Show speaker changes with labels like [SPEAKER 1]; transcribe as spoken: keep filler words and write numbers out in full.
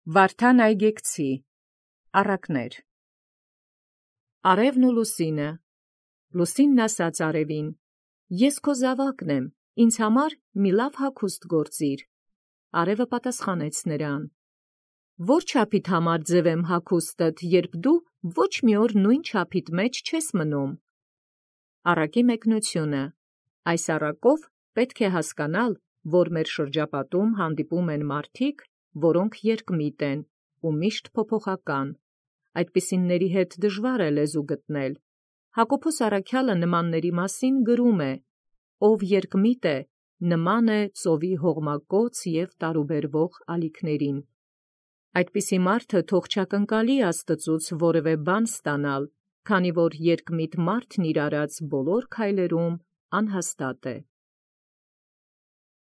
[SPEAKER 1] Վարդան Այգեկցի առակներ։ Արևն ու լուսինը։ Լուսինն ասաց արևին. Ես քո զաւակն եմ, ինձ համար մի լավ հագուստ գործիր։ Արևը պատասխանեց նրան. Որ չափիդ համար ձևեմ հագուստդ, երբ դու ոչ մի օր նույն չափիդ մեջ չես մնում։ Առակի մեկնությունը։ Այս առակով պետք է հասկանալ, որ մեր շրջապատում հանդիպում են մարդիկ, որոնք երկմիտ են ու միշտ փոփոխական։ Այդպիսինների հետ դժվար է լեզու գտնել։ Հակոբոս առաքյալը նմանների մասին գրում է. ով երկմիտ է, նման է ծովի հողմակոծ և տարուբերվող ալիքներին։ Այդպիսի մարդը թող չակնկալի Աստծուց որևէ բան ստանալ, քանի որ երկմիտ մարդն իր արած բոլոր քայլերում անհաստատ է։